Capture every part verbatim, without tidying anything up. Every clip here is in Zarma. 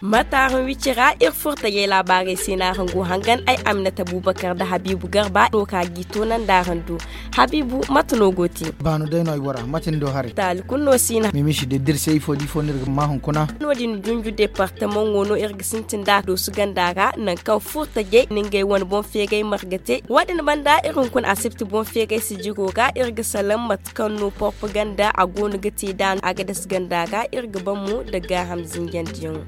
Mataaraŋ wicira iri furtajey laabaarey se no araŋ go hangan ay aminata bubakar nda habiibu garba no ka gi toonandi araŋ do. Habiibu, mate no go te? Baanu day no ay wara, mate ni do haray? Taali kulu no si no. Mimisi de d'iri se ifo d'ifo no iri ga ma hunkuna. No-din junju departamaŋo no iri ga sintin nd'a doosu ganda ra nangu kaŋ furtajey na ngey wane boŋ feeray marga te. Wo-din banda iri hunkuna asibti boŋ feeray sijiro ga iri ga salaŋ mate kaŋ no propaganda a go no ga te nd'a no a ga dasa ganda ra iri ga ban mo nda gaaham zinjandiyaŋo.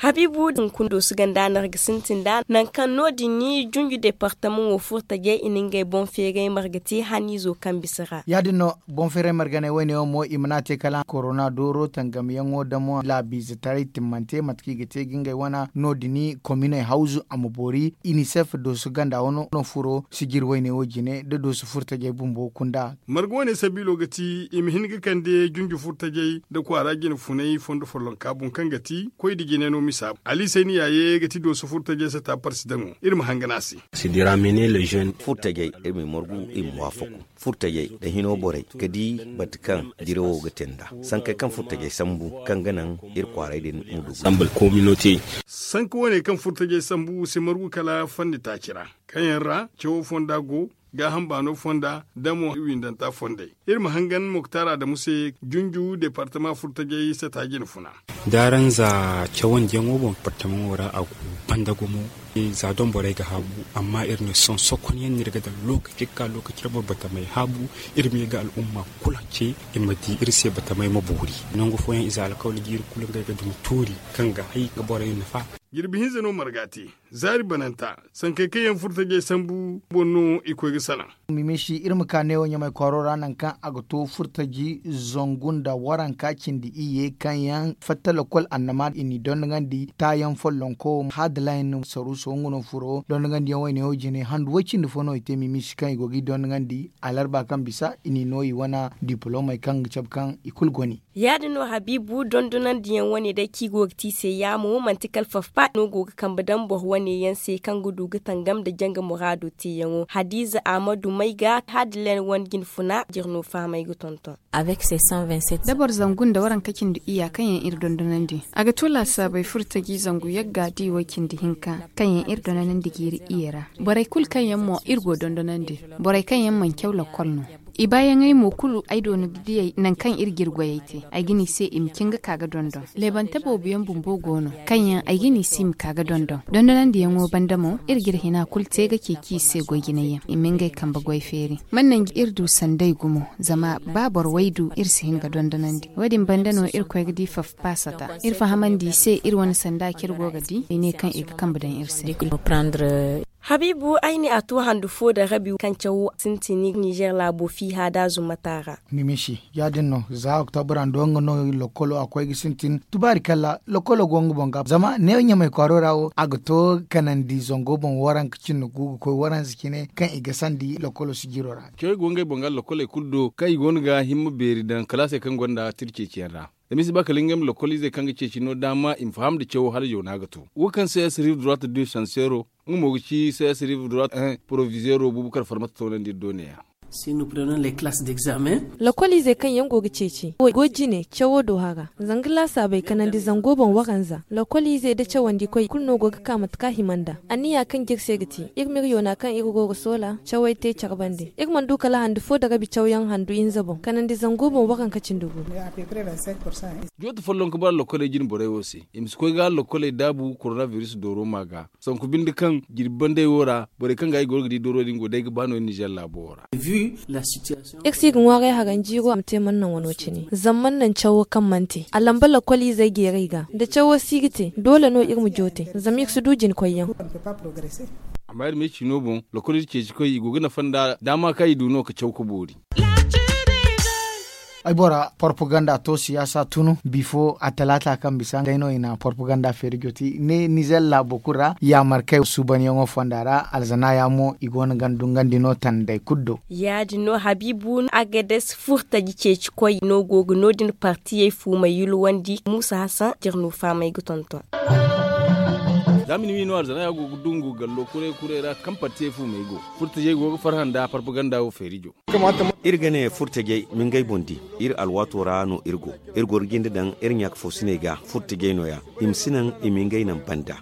Habiibu hunkuna doosu ganda no iri ga sintin nd'a nangu kaŋ no-din ni junju departamaŋo furtajey i na ngey boŋ feeray marga te haniizo kaŋ bisa ra. Ya-din no, boŋ feeray marganey woyne wo mo i mana te kala korona dooro tangamyaŋo damo laabiizetaray timmante mate kaŋ i ga te ga ngey wana no-din kominey hawzu a ma boori inisef doosu ganda wano no furo sijir woyne wo jine nda doosu furtajey bumbo kunda. Marga wane sabiilo ga ti i ma hin ga kande junju furtajey nda kwaara jine funay fondo follonka boŋ kaŋ ga ti koy nda jine no misa. Alisayni yaaye ga ti dooso furtajey sata parsidaŋo iri ma hangan a se. Furtajey iri ma i margu i ma waafaku furtajey nda hino borey ga di bate kaŋ dirawo ga te nd'a sankey kaŋ furtajey sambu kaŋ ga naŋ iri kwaaray din ma du. Sanka wane kaŋ furtajey sambu si margu kala fanni taaci ra kaŋ yaŋ ra cawo fonda go gaaham baano fonda nda mo windanta fondey. Iri ma hangan moktar adamu se junju departama furtajey sata jine funa. Daaranza cawandiyaŋo boŋ departamaŋo ra a go banda gumo. Za doŋ borey ga haabu amma iri ne sohõ sohõ konyaŋ no iri ga daŋ lookaci ga ka lookaci ra boro batamey haabu. Iri ma ye ga al'umma kulu ce i ma di iri se batamey ma boori. Nangu fooyaŋ ize alkawali ga iri kulu ngey ga dumi tuuri kaŋ ga hay ga borey nafa. Jirbi hinza no marga te zaari bananta sankey kaŋ yaŋ furtajey sambu boŋ no i koy ga salaŋ. Mimisi iri ma ka neewo ɲamay kwaaro ra nangu kaŋ a ga to furtaji zangu nda waranka cindi iyye kaŋ yaŋ fatta lokol annama i n'i dondonandi taayaŋ follonko hadalayn saruuso nga no furo dondongandiyaŋ wayne wo jine handu way cindi fo no i te mimisi kaŋ i go ga i dondonandi alarba kaŋ bisa i n'i no i wane dipolomey kaŋ ga cabe kaŋ i kulu goni. Ya-din no habiibu dondonandiyaŋ wane day kaŋ i go ga te i se yaamo manti kala fafpa no go ga kambe daŋ boro wane yaŋ se kaŋ ga du ga tangam nda janga muraado teeyaŋo hadiiza ahmadu may ga hadilen wane jinfuna jirno fahamay ga tonton. Da boro zangu nda waranka cindi iyya kaŋ yaŋ iri dondonandi a ga to laasaabey furtaji zangu yagga di way cindi hinka kaŋ yaŋ iri dondonandi jiiri iyye ra. Borey kulu kaŋ yaŋ mo iri go dondonandi borey kaŋ yaŋ mana caw lakkol no. I baayaŋey mo kulu ay doona ga diyey nangu kaŋ iri ga iri goyey te ay ga ne i se i ma cin ga ka ga dondon. Leebante boobo yaŋ bumbo go no kaŋ yaŋ ay ga ne i se i ma ka ga dondon dondonandiyaŋo banda mo iri ga iri hina kulu te ga ceeci i se goy jinay yaŋ i ma ngey kambe goy feeri. Mana nanji iri du sanday gumo zama ba boro way du iri si hin ga dondonandi wo- din banda no iri koy ga di fafpaasata iri fahamandi i se iri wane sanda kaŋ iri go ga di ay ne kaŋ i ga kambe daŋ iri se. Habiibu ay ne a to handu fo nda rabi kaŋ cawo sintin nizer laabo fiiha da zumata ra. Mimisi ya- din no za oktobra ndo nga no lokkolo a koy ga sintin tubaari kala lokkolo go nga boŋ ga zama ne ɲamay kwaaro ra wo a ga to kanandi zango boŋ waranka cine gu ga koy waranza cine kaŋ i ga sandi lokkolo sijiro ra. Cawey go ngey boŋ ga lokkoley kulu do kaŋ i go no ga himma beeri daŋ kalaasey kaŋ gonda tira ceeciyaŋ ra. Zama i si ba kala ngey ma lokkol izey kaŋ ga ceeci no daama i ma faham nda cawo hala yoona ga to wo kaŋ se siriif durat du sansero. Nga mo ga ci se siriif durat un provizeero bubakar farmata toonandi iri do neeya. Lokol izey kaŋ yaŋ go ga ceeci wo go jine cawo do hara zanga laasaabey kanandi zango boŋ waranza lokol izey nda cawandikoy kulu no go ga ka mate kaŋ a hima nd'a. Anniya kaŋ jire se ga ti iri ma iri yoona kaŋ iri go ga soola cawey te care bande iri mana du kala handu fo nda rabi cawyaŋ handu hinza boŋ kanandi zango boŋ waranka cindi gu. Jooto folloŋ ga bara lokoley jine borey wo se i ma si koy ga lokoley daabu koronabiris dooro ma ga. Sanku binde kaŋ jirbi bandey wo ra borey kaŋ ga i goro ga di dooro din go day ga ba no nizer laabo wo ra. Iri si ga ŋwaaray haranjiiro a ma te mana naŋ wano cine zama mana naŋ cawo kaŋ mana te a lamba lokol izey jeeray ga nda cawo si ga te doole no iri ma joote zama iri si du jinkoyyaŋ. Amma iri ma ay ciino boŋ lokol iri ceecikoy i go ga nafa nda daama kaŋ i du no ga caw ga boori. Ay bora, porpaganda to siyaasa tunu bifo a talaata kaŋ bisa ngey no i na porpaganda feeri joti ne nizer laabo kulu ra. Yaamar kay suubanyaŋo fonda ra alzana ya mo i go no ga dungandi no tanday kulu do. Ya- din no habiibu no agades furtaji ceeci koy no go ga no- din partiyey fuumay yulwandi muusa hasan jirnu faamay ga tonton. Za ma ni wi no alzana ya go ga dungu gallo kuray kuray ra kaŋ partiyey fuumay go. Furtajey go ga farhã nda porpaganda wo feerijo. Iri ga ne furtajey ma ngey boŋ di. Iri alwaato ra no iri go. Iri goro jinde daŋ iri ɲaaka foosiney ga furtajey no- ya. I ma si naŋ i ma ngey naŋ banda.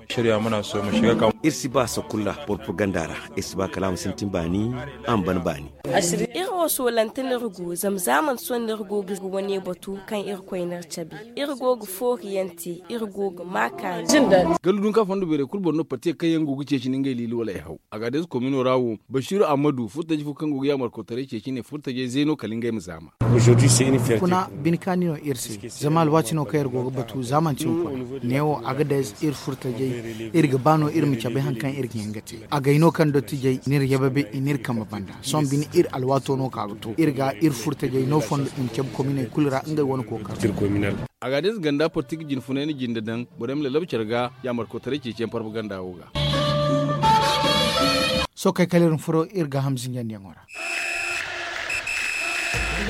Iri si ba sakulla porpaganda ra. Iri si ba kala a ma sintin baani a ma ban baani. Iri wo soolante no iri go zama za manti sohõ no iri go ga iri wane batu kaŋ irkoy n'iri cabe. Iri go ga fooriyaŋ te. Iri go ga maa kaani. Gallu dunka fondo beerey kulu boŋ no partiye kaŋ yaŋ go ga ceeci nda ngey liili wala ay haw. Agades komino ra wo, basiiru ammadu furtaji fo kaŋ go ga yaamarkotaray ceeci ne furtajey zey no kala ngey ma zaama. Kuna bine kaani no iri se. Zama alwaati no kaŋ iri go ga batu za manti hunkuna. Neewo agades iri furtajey, iri ga ba no iri ma cabe hari kaŋ iri ga hin ga te. Agay no kaŋ dottijey n'iri yababe i n'iri kambe banda. Sohõ bine iri alwaato no ka ga to iri ga iri furtajey no fondo i ma cabe kominey kulu ra ngey wane kookaro. Agades ganda portigi jinfunay na jinde daŋ borey ma lalabu care ga yaamarkotaray ceeciyaŋ porpaganda wo ga. Sohõ kay kala iri ma furo iri gaaham zinjandiyaŋo ra.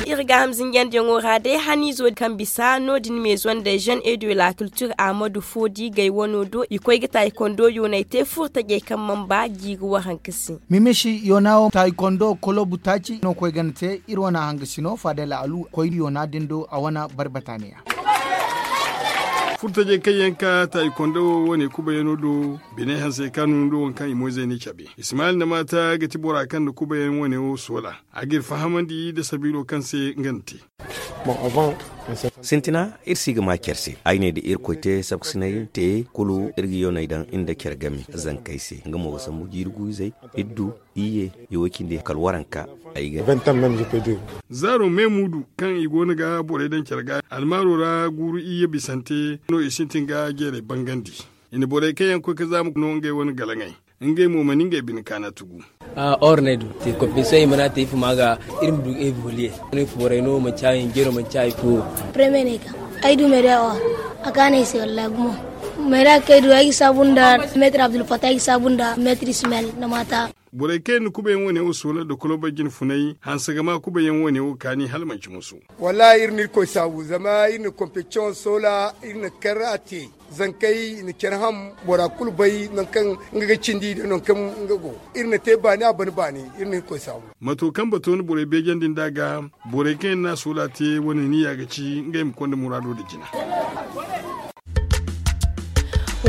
Iri gaaham zinjandiyaŋo ra day haniizo kaŋ bisa no- din meezo nda jeune et de la culture ahmadu foodi gay wano do i koy ga taayi kondo yoonay te furtajey kaŋ mana ba jiiri waranka se. Mimisi yoona wo taayi kondo kolobu taaci no koy gana te iri wane hangasi no faadala alu koy yoona din do a wane barbata ne ya. Furtajey kaŋ yaŋ ka taayi kondo wo wane kubayano do biney hanse kaanu nda waŋ kaŋ i moyzey ne cabe. Ismail nda maata ga ti bora kaŋ nda kubayaŋ wane wo soola. A g'iri fahamandi nda sabiilo kaŋ se nga na te. Sintina iri si ga maa care se ay ne da irkoy te sabkasinay te kulu iri ga yoonay daŋ nda care game zankey se nga mo ga sambu jiiri guuzey iddu iyye. Iwo cindi kala waranka. Ay ga zaaro me muudu kaŋ i go no ga borey daŋ care ga almaaro ra guuru iyye bisante no i sintin ga jeerey bangandi. I na borey kaŋ yaŋ koy ga zaama no ngey wane galaŋey. Ngey mo mana ngey bine kaana tugu. Or ne du te koppiso i mana te ifo ma ga iri ma du ebi holiye. Ifo borey no manci a hinjero manci a ifo. Premier ne ka ay du meeda or a kaana ay se wallahi gumo. Meeda kay du ay ga saabu nda meetir abdulfata ay ga saabu nda meetir ismail na maata. Borey kaŋ yaŋ na kubayaŋ wane wo soola da koloba jine funay hanse ga ma kubayaŋ wane wo kaani hala manci musu. Wallahi iri na irkoy saabu zama iri na kompetisiyoŋ soola iri na kar a te. Zankey i na care ham bora kulu bay nangu kaŋ nga ga cindi nda nangu kaŋ nga go. Iri na te baani a ban baani. Iri na irkoy saabu. Mato kaŋ bato na borey beejandi nd'a ga borey kaŋ yaŋ na a soola te wane niya ga ci ngey ma konda muraado nda jina.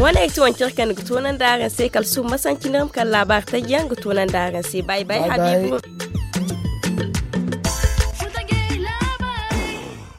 Wane ay ti wancey kaŋ ga toonandi araŋ se kala suba masanci nda iri ma kala laabaari taji yaŋ ga toonandi araŋ se bay bay habiibu.